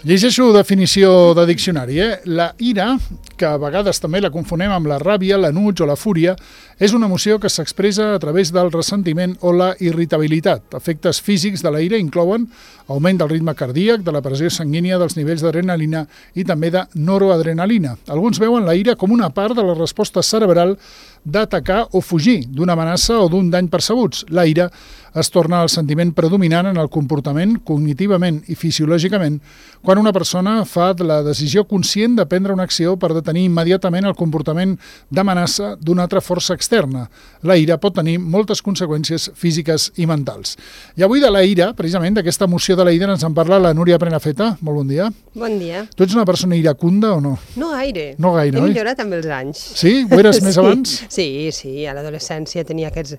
Llegeixo definició de diccionari. La ira, que a vegades també la confonem amb la ràbia, l'enuig o la fúria, és una emoció que s'expressa a través del ressentiment o la irritabilitat. Efectes físics de la ira inclouen augment del ritme cardíac, de la pressió sanguínia, dels nivells d'adrenalina i també de noroadrenalina. Alguns veuen la ira com una part de la resposta cerebral d'atacar o fugir d'una amenaça o d'un dany percebuts. La ira es torna el sentiment predominant en el comportament cognitivament i fisiològicament quan una persona fa la decisió conscient de prendre una acció per detenir immediatament el comportament d'amenaça d'una altra força externa. La ira pot tenir moltes conseqüències físiques i mentals. I avui de la ira, precisament d'aquesta emoció de la ira, ens en parla la Núria Prenafeta. Molt bon dia. Bon dia. Tu ets una persona iracunda o no? No gaire. No gaire, He oi? millorat amb els anys. Sí? Ho eres més abans? Sí, a l'adolescència tenia aquestes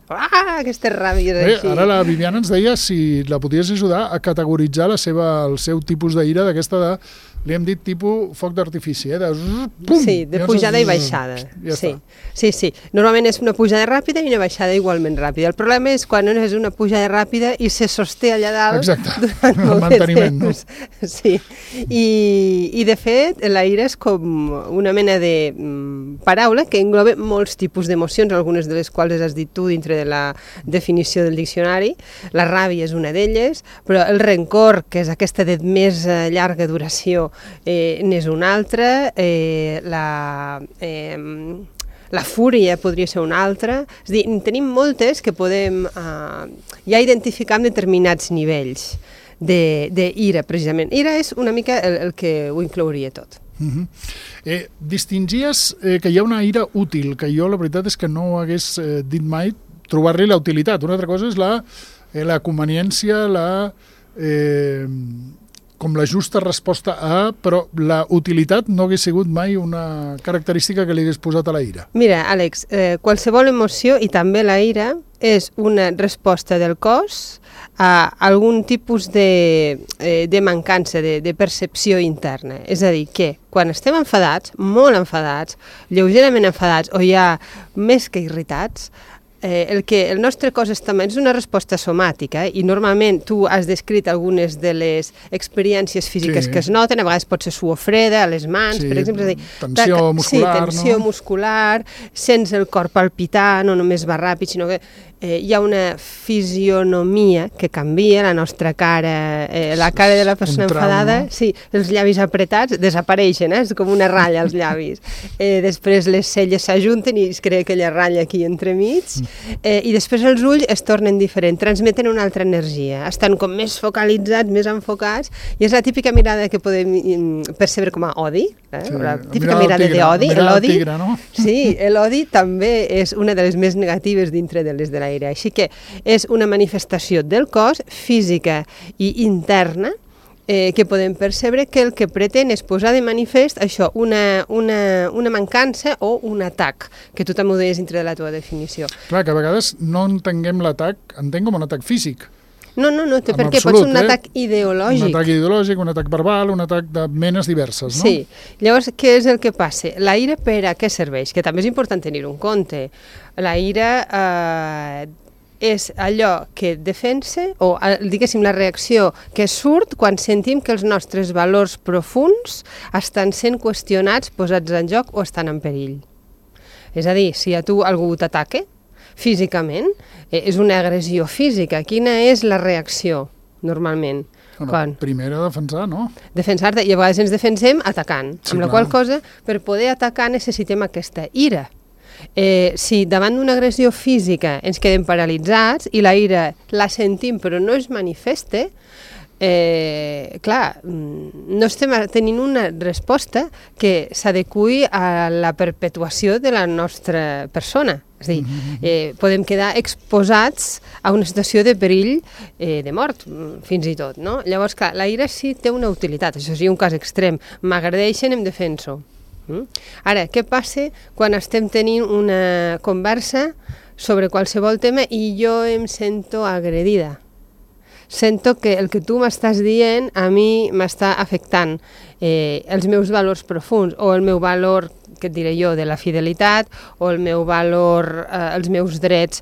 ràbies així. Ara la Viviana ens deia si la podies ajudar a categoritzar el seu tipus d'ira d'aquesta de, li hem dit tipus foc d'artifici, de pum! Sí, de pujada i baixada. Ja sí. està. Sí. Normalment és una pujada ràpida i una baixada igualment ràpida. El problema és quan no és una pujada ràpida i se sosté allà dalt. Exacte, durant el molt manteniment, no? Sí, i de fet la ira és com una mena de paraula que engloba molts tipus d'emocions, algunes de les quals has dit tu dintre de la definició del diccionari. La ràbia és una d'elles, però el rencor, que és aquesta de més llarga duració, n'és una altra, la fúria podria ser una altra. És a dir, tenim moltes que podem ja identificar amb determinats nivells d'ira, precisament. Ira és una mica el que ho inclouria tot. Distingies que hi ha una ira útil, que jo la veritat és que no hagués dit mai trobar-li la utilitat. Una altra cosa és la conveniència, com la justa resposta a, però la utilitat no hagués sigut mai una característica que li hagués posat a la ira. Mira, Àlex, qualsevol emoció, i també la ira, és una resposta del cos a algun tipus de mancança, de percepció interna. És a dir, que quan estem enfadats, molt enfadats, lleugerament enfadats o ja més que irritats, el nostre cos també és una resposta somàtica, i normalment tu has descrit algunes de les experiències físiques que es noten, a vegades pot ser suor freda a les mans, per exemple. Tensió muscular, no? Sí, tensió muscular, sents el cor palpitar, no només va ràpid, sinó que hi ha una fisionomia que canvia, la nostra cara, la cara de la persona enfadada, sí, els llavis apretats desapareixen, és com una ratlla als llavis. Després les celles s'ajunten i es crea aquella ratlla aquí entremig, i després els ulls es tornen diferents, transmeten una altra energia, estan com més focalitzats, més enfocats, i és la típica mirada que podem percebre com a odi, la típica mirada d'odi. L'odi, no? Sí, l'odi també és una de les més negatives dintre de les de la ira. Així que és una manifestació del cos, física i interna, que podem percebre que el que pretén és posar de manifest això, una mancança o un atac, que tu també ho deies dintre de la teva definició. Clar, que a vegades no entenguem l'atac, entenc com un atac físic. No, perquè pot ser un atac ideològic. Un atac ideològic, un atac verbal, un atac de menes diverses, no? Sí. Llavors, què és el que passa? La ira per a què serveix? Que també és important tenir-ho en compte. La ira és allò que defensa, o diguéssim la reacció que surt quan sentim que els nostres valors profuns estan sent qüestionats, posats en joc o estan en perill. És a dir, si a tu algú t'ataca físicament, és una agressió física. Quina és la reacció, normalment? Primera, defensar, no? Defensar-te, i a vegades ens defensem atacant, amb la qual cosa, per poder atacar necessitem aquesta ira. Si davant d'una agressió física ens quedem paralitzats i la ira la sentim però no es manifesta, clar, no estem tenint una resposta que s'adeqüi a la perpetuació de la nostra persona. És a dir, podem quedar exposats a una situació de perill de mort, fins i tot, no? Llavors, clar, la ira sí té una utilitat, això sí, un cas extrem. M'agredeixen, em defenso. Ara, què passa quan estem tenint una conversa sobre qualsevol tema i jo em sento agredida? Sento que el que tu m'estàs dient a mi m'està afectant els meus valors profuns o el meu valor què et diré jo, de la fidelitat, o el meu valor, els meus drets,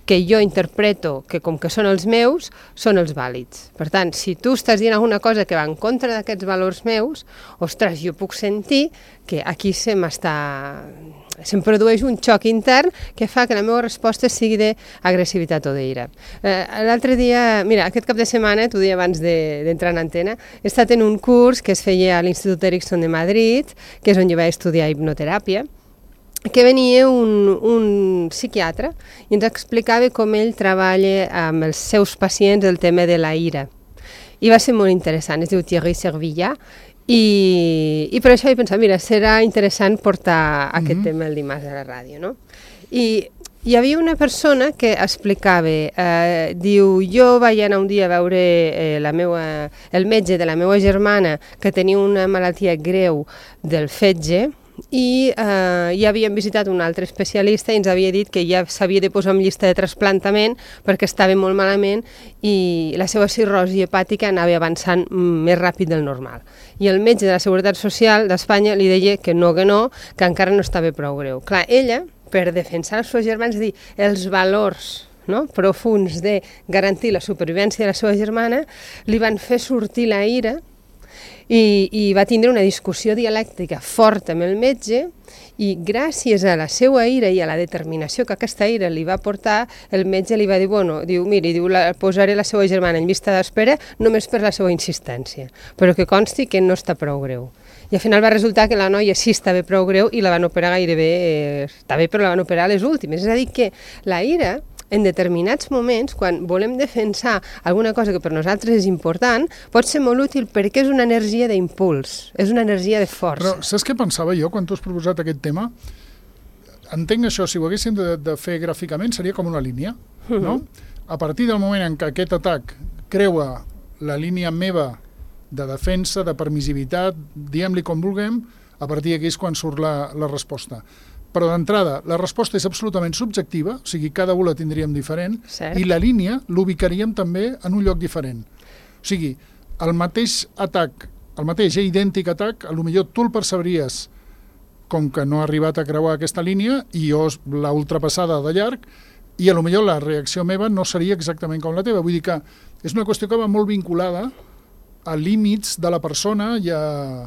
que jo interpreto que com que són els meus, són els vàlids. Per tant, si tu estàs dient alguna cosa que va en contra d'aquests valors meus, ostres, jo puc sentir que aquí se'm produeix un xoc intern que fa que la meva resposta sigui d'agressivitat o d'ira. L'altre dia, mira, aquest cap de setmana, t'ho deia abans d'entrar en antena, he estat en un curs que es feia a l'Institut Erickson de Madrid, que és on jo vaig estudiar hipnoteràpia, que venia un psiquiatre i ens explicava com ell treballa amb els seus pacients el tema de la ira. I va ser molt interessant, es diu Thierry Servilla, i per això he pensat, mira, serà interessant portar aquest tema el dimarts a la ràdio, no? I hi havia una persona que explicava, diu, jo vaig anar un dia a veure el metge de la meva germana que tenia una malaltia greu del fetge, i ja havíem visitat un altre especialista i ens havia dit que ja s'havia de posar en llista de trasplantament perquè estava molt malament i la seva cirrosi hepàtica anava avançant més ràpid del normal. I el metge de la Seguretat Social d'Espanya li deia que que encara no estava prou greu. Clar, ella, per defensar els seus germans, dir els valors profuns de garantir la supervivència de la seva germana, li van fer sortir la ira i va tindre una discussió dialèctica forta amb el metge i gràcies a la seva ira i a la determinació que aquesta ira li va portar, el metge li va dir, miri, posaré la seva germana en llista d'espera només per la seva insistència, però que consti que no està prou greu. I al final va resultar que la noia sí estava prou greu i la van operar gairebé, està bé, però la van operar a les últimes. És a dir, que la ira, en determinats moments, quan volem defensar alguna cosa que per nosaltres és important, pot ser molt útil perquè és una energia d'impuls, és una energia de força. Però saps què pensava jo quan tu has proposat aquest tema? Entenc això, si ho haguéssim de fer gràficament, seria com una línia, no? A partir del moment en què aquest atac creua la línia meva de defensa, de permissivitat, diguem-li com vulguem, a partir d'aquí és quan surt la resposta. Però d'entrada, la resposta és absolutament subjectiva, o sigui, cada un la tindríem diferent, Cert. I la línia l'ubicaríem també en un lloc diferent. O sigui, el mateix atac, el mateix idèntic atac, potser tu el percebries com que no ha arribat a creuar aquesta línia i jo l'ha ultrapassada de llarg, i potser la reacció meva no seria exactament com la teva. Vull dir que és una qüestió que va molt vinculada a límits de la persona i a...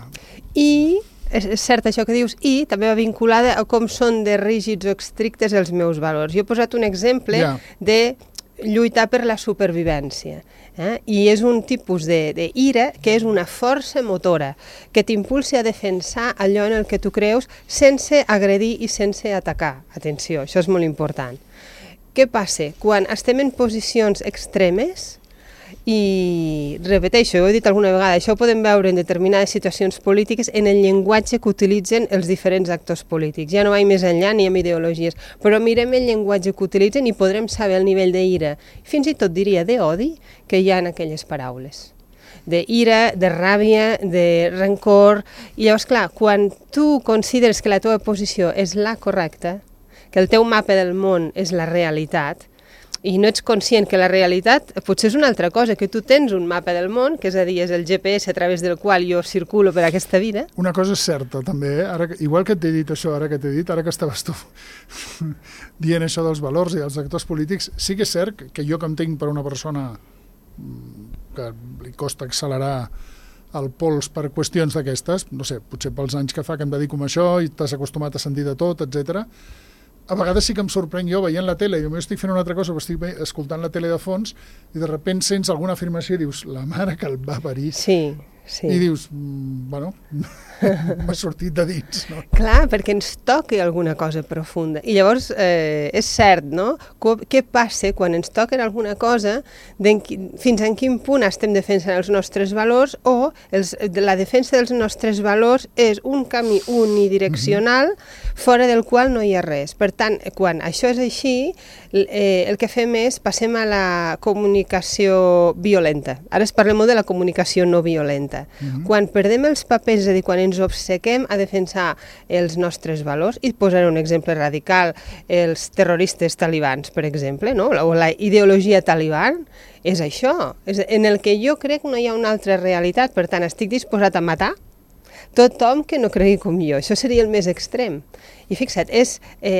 I és cert això que dius, i també va vinculada a com són de rígids o estrictes els meus valors. Jo he posat un exemple de lluitar per la supervivència, i és un tipus d'ira que és una força motora que t'impulsa a defensar allò en el que tu creus sense agredir i sense atacar. Atenció, això és molt important. Què passa? Quan estem en posicions extremes, i repeteixo, ho he dit alguna vegada, això ho podem veure en determinades situacions polítiques en el llenguatge que utilitzen els diferents actors polítics. Ja no vaig més enllà ni amb ideologies, però mirem el llenguatge que utilitzen i podrem saber el nivell d'ira, fins i tot diria d'odi, que hi ha en aquelles paraules. D'ira, de ràbia, de rancor. I llavors, clar, quan tu consideres que la teva posició és la correcta, que el teu mapa del món és la realitat, i no ets conscient que la realitat potser és una altra cosa, que tu tens un mapa del món, que és a dir, és el GPS a través del qual jo circulo per aquesta vida. Una cosa és certa, també, ara, igual que t'he dit això, ara que estaves tu dient això dels valors i dels actors polítics, sí que és cert que jo que em tinc per una persona que li costa accelerar el pols per qüestions d'aquestes, no sé, potser pels anys que fa que em dedico a això i t'has acostumat a sentir de tot, etc. A vegades sí que em sorprenc jo veient la tele, jo estic fent una altra cosa, però estic escoltant la tele de fons i de sobte sents alguna afirmació i dius, la mare que el va parir. Sí. I dius, bueno, m'ha sortit de dins, no? Clar, perquè ens toca alguna cosa profunda. I llavors, és cert, no? Què passa quan ens toca alguna cosa, fins en quin punt estem defensant els nostres valors o la defensa dels nostres valors és un camí unidireccional fora del qual no hi ha res. Per tant, quan això és així, el que fem és passem a la comunicació violenta. Ara parlem molt de la comunicació no violenta. Quan perdem els papers, és a dir, quan ens obcequem a defensar els nostres valors, i posaré un exemple radical, els terroristes talibans, per exemple, no? O la ideologia taliban, és això, en el que jo crec que no hi ha una altra realitat, per tant estic disposat a matar tothom que no cregui com jo. Això seria el més extrem. I fixa't, és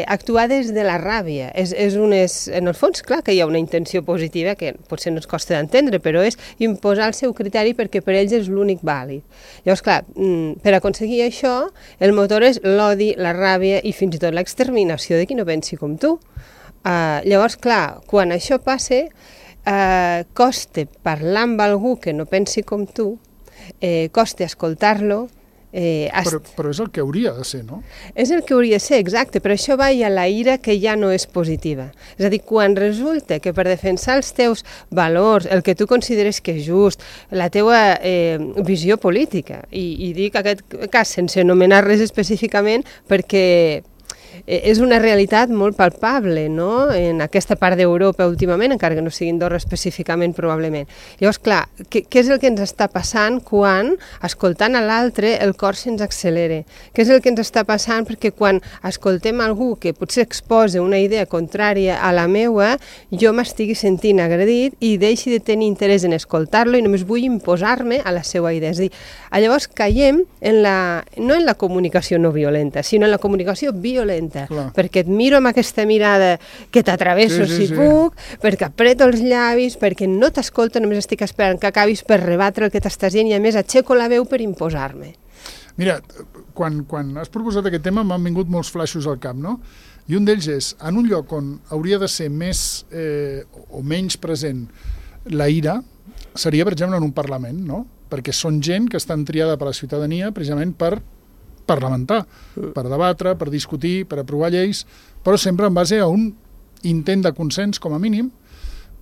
actuar des de la ràbia. En el fons, clar que hi ha una intenció positiva que potser no ens costa d'entendre, però és imposar el seu criteri perquè per ells és l'únic vàlid. Llavors, clar, per aconseguir això, el motor és l'odi, la ràbia i fins i tot l'exterminació de qui no pensi com tu. Llavors, clar, quan això passa, costa parlar amb algú que no pensi com tu, costa escoltar-lo. Però és el que hauria de ser, no? És el que hauria de ser, exacte, però això va a la ira que ja no és positiva. És a dir, quan resulta que per defensar els teus valors, el que tu consideres que és just, la teua visió política, i dic aquest cas sense anomenar res específicament perquè és una realitat molt palpable, no?, en aquesta part d'Europa últimament, encara que no sigui Andorra específicament, probablement. Llavors, clar, què és el que ens està passant quan, escoltant a l'altre, el cor se'ns accelera? Què és el que ens està passant perquè quan escoltem algú que potser exposa una idea contrària a la meua, jo m'estigui sentint agredit i deixi de tenir interès en escoltar-lo i només vull imposar-me a la seva idea. És a dir, llavors caiem no en la comunicació no violenta, sinó en la comunicació violenta. Clar. Perquè et miro amb aquesta mirada que t'atravesso si puc, perquè apreto els llavis, perquè no t'escolto, només estic esperant que acabis per rebatre el que t'estàs dient i a més aixeco la veu per imposar-me. Mira, quan has proposat aquest tema m'han vingut molts flaixos al cap, no? I un d'ells és, en un lloc on hauria de ser més o menys present la ira, seria, per exemple, en un Parlament, no? Perquè són gent que estan triada per la ciutadania precisament per parlamentar, per debatre, per discutir, per aprovar lleis, però sempre en base a un intent de consens com a mínim,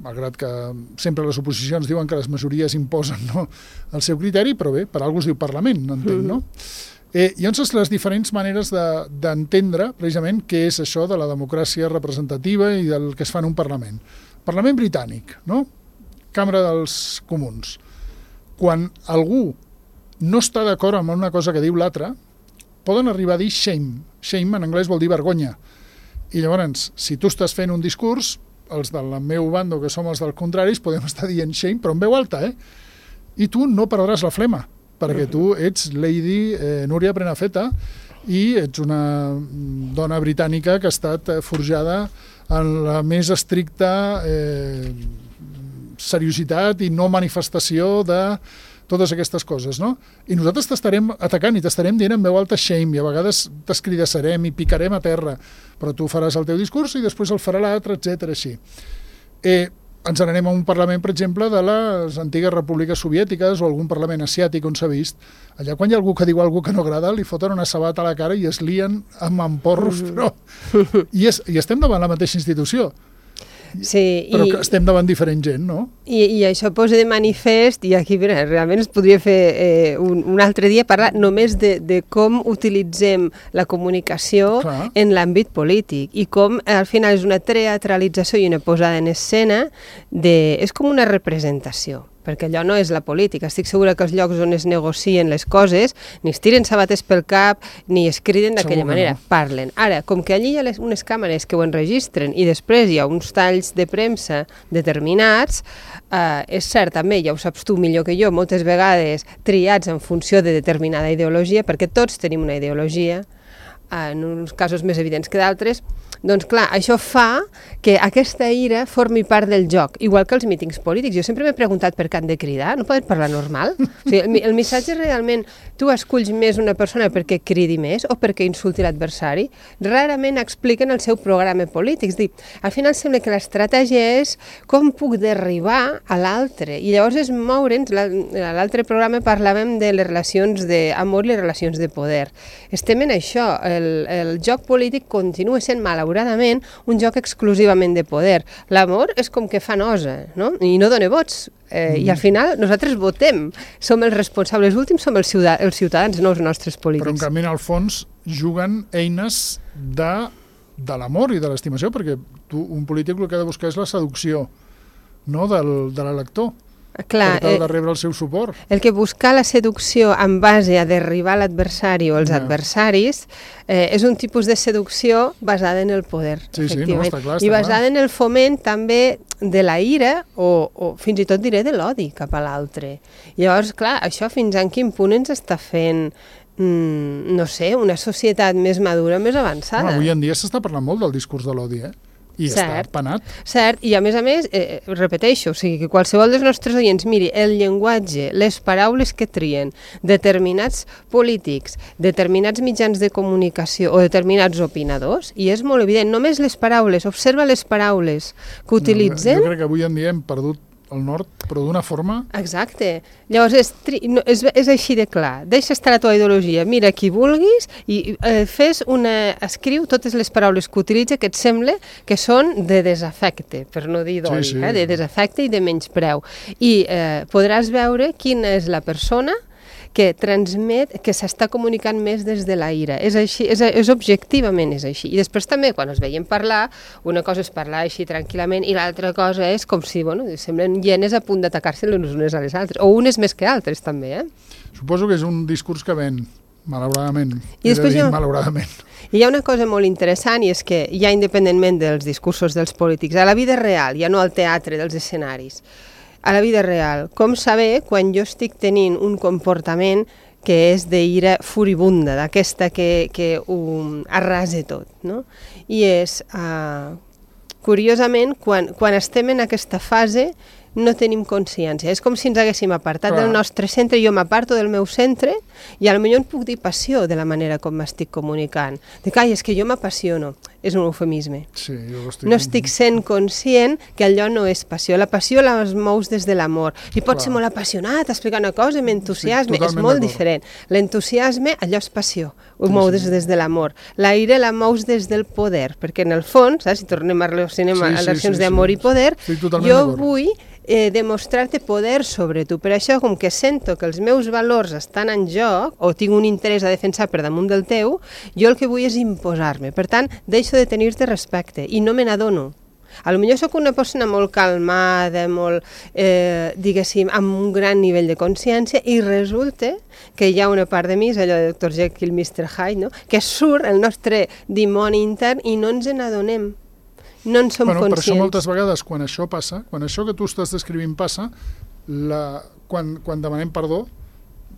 malgrat que sempre les oposicions diuen que les majories imposen, no, el seu criteri, però bé, per alguna cosa es diu Parlament, entenc, no? Llavors, les diferents maneres d'entendre precisament què és això de la democràcia representativa i del que es fa en un Parlament. Parlament britànic, no? Cambra dels Comuns. Quan algú no està d'acord amb una cosa que diu l'altre, poden arribar a dir shame. Shame en anglès vol dir vergonya. I llavors, si tu estàs fent un discurs, els del meu bando, que som els dels contraris, podem estar dient shame, però en veu alta, I tu no perdràs la flema, perquè tu ets Lady Núria Prenafeta i ets una dona britànica que ha estat forjada en la més estricta seriositat i no manifestació de totes aquestes coses, no? I nosaltres t'estarem atacant i t'estarem dient en veu alta shame i a vegades t'escridassarem i picarem a terra, però tu faràs el teu discurs i després el farà l'altre, etc. així. Ens n'anem a un parlament, per exemple, de les antigues repúbliques soviètiques o algun parlament asiàtic on s'ha vist. Allà quan hi ha algú que diu alguna que no agrada, li foten una sabata a la cara i es lien amb porros, però... I estem davant la mateixa institució. Sí, però que estem davant diferent gent, no? I això posa de manifest, i aquí realment es podria fer un altre dia parlar només de com utilitzem la comunicació en l'àmbit polític i com al final és una teatralització i una posada en escena, és com una representació. Perquè allò no és la política. Estic segura que els llocs on es negocien les coses ni es tiren sabates pel cap ni es criden d'aquella manera. No. Parlen. Ara, com que allí hi ha unes càmeres que ho enregistren i després hi ha uns talls de premsa determinats, és cert, també, ja ho saps tu millor que jo, moltes vegades triats en funció de determinada ideologia, perquè tots tenim una ideologia, en uns casos més evidents que d'altres, doncs clar, això fa que aquesta ira formi part del joc, igual que els mítings polítics. Jo sempre m'he preguntat per què han de cridar, no poden parlar normal? O sigui, el missatge realment, tu esculls més una persona perquè cridi més o perquè insulti l'adversari? Rarament expliquen el seu programa polític. És dir, al final sembla que l'estratègia és com puc derribar a l'altre. I llavors és moure'ns, a l'altre programa parlàvem de les relacions d'amor i les relacions de poder. Estem en això, el joc polític continua sent malauradament un joc exclusivament de poder. L'amor és com que fa nosa, no? I no dona vots. I al final nosaltres votem. Som els responsables últims, som els ciutadans, no els nostres polítics. Però en canvi, en el fons, juguen eines de l'amor i de l'estimació, perquè un polític el que ha de buscar és la seducció, no, de l'elector. Clar, per tal de rebre el seu suport. El que buscar la seducció en base a derribar l'adversari o els adversaris és un tipus de seducció basada en el poder, efectivament. Està clar, i basada en el foment també de la ira o fins i tot diré de l'odi cap a l'altre. Llavors, clar, això fins en quin punt ens està fent no sé, una societat més madura, més avançada. Avui en dia s'està parlant molt del discurs de l'odi, I està penat. Cert, i a més, repeteixo, o sigui, que qualsevol dels nostres oients miri el llenguatge, les paraules que trien determinats polítics, determinats mitjans de comunicació o determinats opinadors, i és molt evident, només les paraules, observa les paraules que utilitzen. Jo crec que avui en dia hem perdut el nord, però d'una forma... Exacte. Llavors, és així de clar. Deixa estar la teva ideologia, mira qui vulguis i escriu totes les paraules que utilitza que et sembla que són de desafecte, per no dir d'odi, de desafecte i de menyspreu. I podràs veure quina és la persona que transmet, que s'està comunicant més des de la ira. És així, és objectivament és així. I després també, quan es veiem parlar, una cosa és parlar així tranquil·lament i l'altra cosa és com si, semblen hienes a punt d'atacar-se les unes a les altres, o unes més que altres també, Suposo que és un discurs que ven, malauradament. Malauradament. I hi ha una cosa molt interessant, i és que ja independentment dels discursos dels polítics, a la vida real, ja no al teatre dels escenaris, a la vida real, com saber quan jo estic tenint un comportament que és d'ira furibunda, d'aquesta que ho arrasa tot, no? I és, curiosament, quan estem en aquesta fase, no tenim consciència. És com si ens haguéssim apartat del nostre centre, jo m'aparto del meu centre i potser em puc dir passió de la manera com m'estic comunicant. Dic, és que jo m'apassiono. És un eufemisme. Sí, no estic sent conscient que allò no és passió. La passió la mous des de l'amor. I pot ser molt apassionat, explicar una cosa amb entusiasme. És molt diferent. L'entusiasme, allò és passió. Ho mou des de l'amor. La ira la mous des del poder, perquè en el fons, si tornem a relacions d'amor i poder, jo vull demostrar-te poder sobre tu. Per això, com que sento que els meus valors estan en joc, o tinc un interès a defensar per damunt del teu, jo el que vull és imposar-me. Per tant, deixo de tenir-te respecte i no me n'adono. Potser sóc una persona molt calmada, molt, diguéssim, amb un gran nivell de consciència, i resulta que hi ha una part de mi, és allò de Dr. Jekyll, Mr. Hyde, que surt el nostre dimoni intern i no ens n'adonem. No en som conscients. Per això moltes vegades, quan això passa, quan això que tu estàs descrivint passa, quan demanem perdó,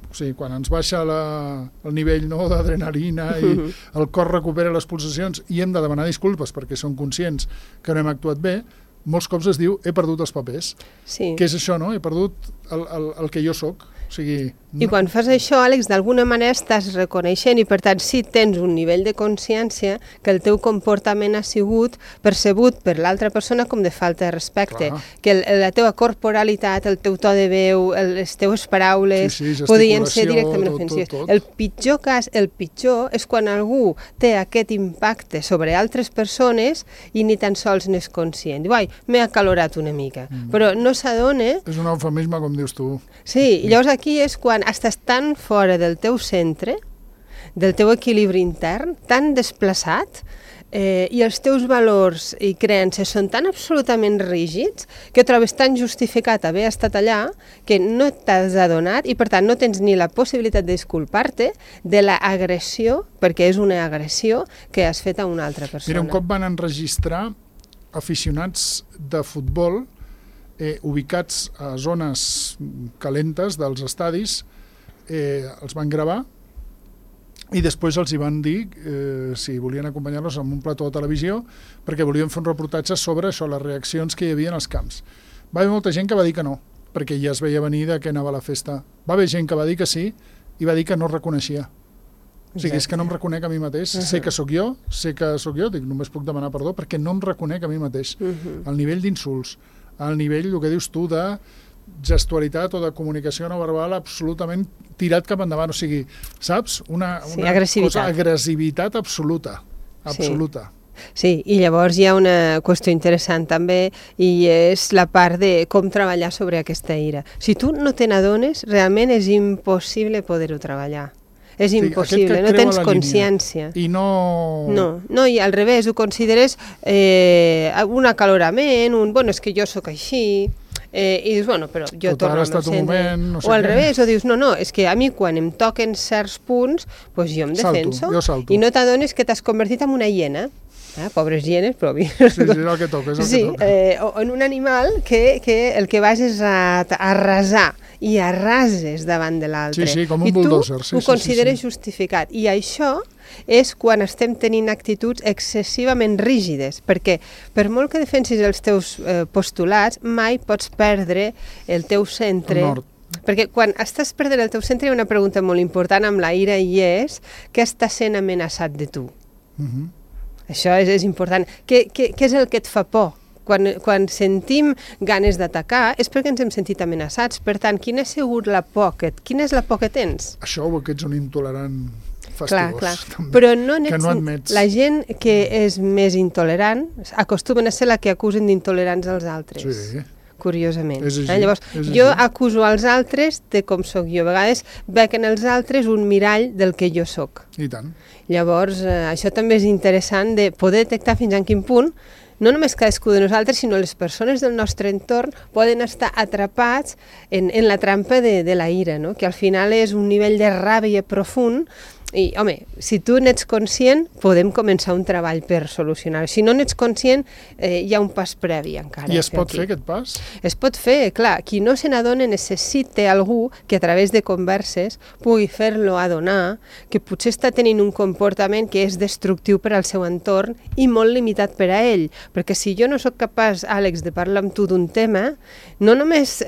o sigui, quan ens baixa el nivell d'adrenalina i el cor recupera les pulsacions i hem de demanar disculpes perquè som conscients que no hem actuat bé, molts cops es diu he perdut els papers. Sí. Què és això, no? He perdut el que jo soc. O sigui, I quan fas això, Àlex, d'alguna manera estàs reconeixent i, per tant, sí tens un nivell de consciència que el teu comportament ha sigut percebut per l'altra persona com de falta de respecte, que la teva corporalitat, el teu to de veu, les teves paraules podien ser directament ofensives. El pitjor cas, el pitjor, és quan algú té aquest impacte sobre altres persones i ni tan sols n'és conscient. Diu, m'he acalorat una mica, però no s'adona... És un eufemisme, com dius tu. Sí, i llavors aquí és quan estàs tan fora del teu centre, del teu equilibri intern, tan desplaçat, i els teus valors i creences són tan absolutament rígids que trobes tan justificat haver estat allà que no t'has adonat i, per tant, no tens ni la possibilitat de disculpar-te de l'agressió, perquè és una agressió que has fet a una altra persona. Mira, un cop van enregistrar aficionats de futbol ubicats a zones calentes dels estadis, els van gravar i després els hi van dir si volien acompanyar-los en un plató de televisió perquè volien fer un reportatge sobre això, les reaccions que hi havia als camps. Va haver molta gent que va dir que no, perquè ja es veia venir de què anava la festa. Va haver gent que va dir que sí i va dir que no reconeixia. O sigui, és que no em reconec a mi mateix, sé que sóc jo, dic, només puc demanar perdó perquè no em reconec a mi mateix. El nivell d'insults, al nivell, el que dius tu, de gestualitat o de comunicació no verbal absolutament tirat cap endavant. O sigui, saps? Una agressivitat absoluta. Absoluta. Sí, i llavors hi ha una qüestió interessant també i és la part de com treballar sobre aquesta ira. Si tu no te n'adones, realment és impossible poder-ho treballar. És impossible, no tens consciència. I no... No, i al revés, ho consideres un acalorament, és que jo sóc així, i dius, però jo torno al meu centre. O al revés, o dius, no, és que a mi quan em toquen certs punts, jo em defenso, i no t'adones que t'has convertit en una hiena. Pobres hienes, però... Sí, és el que toca, o en un animal que el que vas és a arrasar i arrases davant de l'altre. Sí, com un bulldozer. I tu ho consideres justificat. I això és quan estem tenint actituds excessivament rígides, perquè per molt que defensis els teus postulats, mai pots perdre el teu centre. El nord. Perquè quan estàs perdent el teu centre hi ha una pregunta molt important amb la ira i és què està sent amenaçat de tu? Això és important. Què és el que et fa por? Quan sentim ganes d'atacar és perquè ens hem sentit amenaçats. Per tant, quina és la por que tens? Això o que ets un intolerant fastigós. Clar. També, però no que no admets. La gent que és més intolerant acostumen a ser la que acusen d'intolerants als altres. Sí. Curiosament. És així, Llavors, jo acuso als altres de com sóc jo. A vegades veig en els altres un mirall del que jo sóc. I tant. Llavors, això també és interessant de poder detectar fins a quin punt no només cadascú de nosaltres, sinó les persones del nostre entorn poden estar atrapats en la trampa de la ira, no? Que al final és un nivell de ràbia profund. I, home, si tu n'ets conscient, podem començar un treball per solucionar-ho. Si no n'ets conscient, hi ha un pas previ encara. I es pot fer aquest pas? Es pot fer, clar. Qui no se n'adona necessita algú que a través de converses pugui fer-lo adonar que potser està tenint un comportament que és destructiu per al seu entorn i molt limitat per a ell. Perquè si jo no sóc capaç, Àlex, de parlar amb tu d'un tema, no només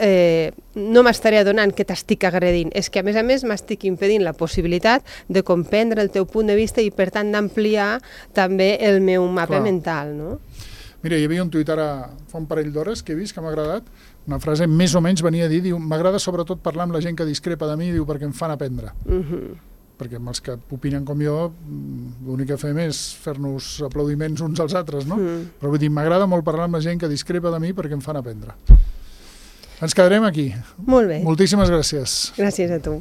no m'estaré adonant que t'estic agredint, és que a més m'estic impedint la possibilitat de comprendre el teu punt de vista i per tant d'ampliar també el meu mapa mental, no? Mira, hi havia un tuit ara fa un parell d'hores que he vist que m'ha agradat, una frase més o menys venia a dir, diu, m'agrada sobretot parlar amb la gent que discrepa de mi, diu, perquè em fan aprendre. Perquè amb els que opinen com jo, l'únic que fem és fer-nos aplaudiments uns als altres, no? Però vull dir, m'agrada molt parlar amb la gent que discrepa de mi perquè em fan aprendre. Ens quedarem aquí. Molt bé. Moltíssimes gràcies. Gràcies a tu.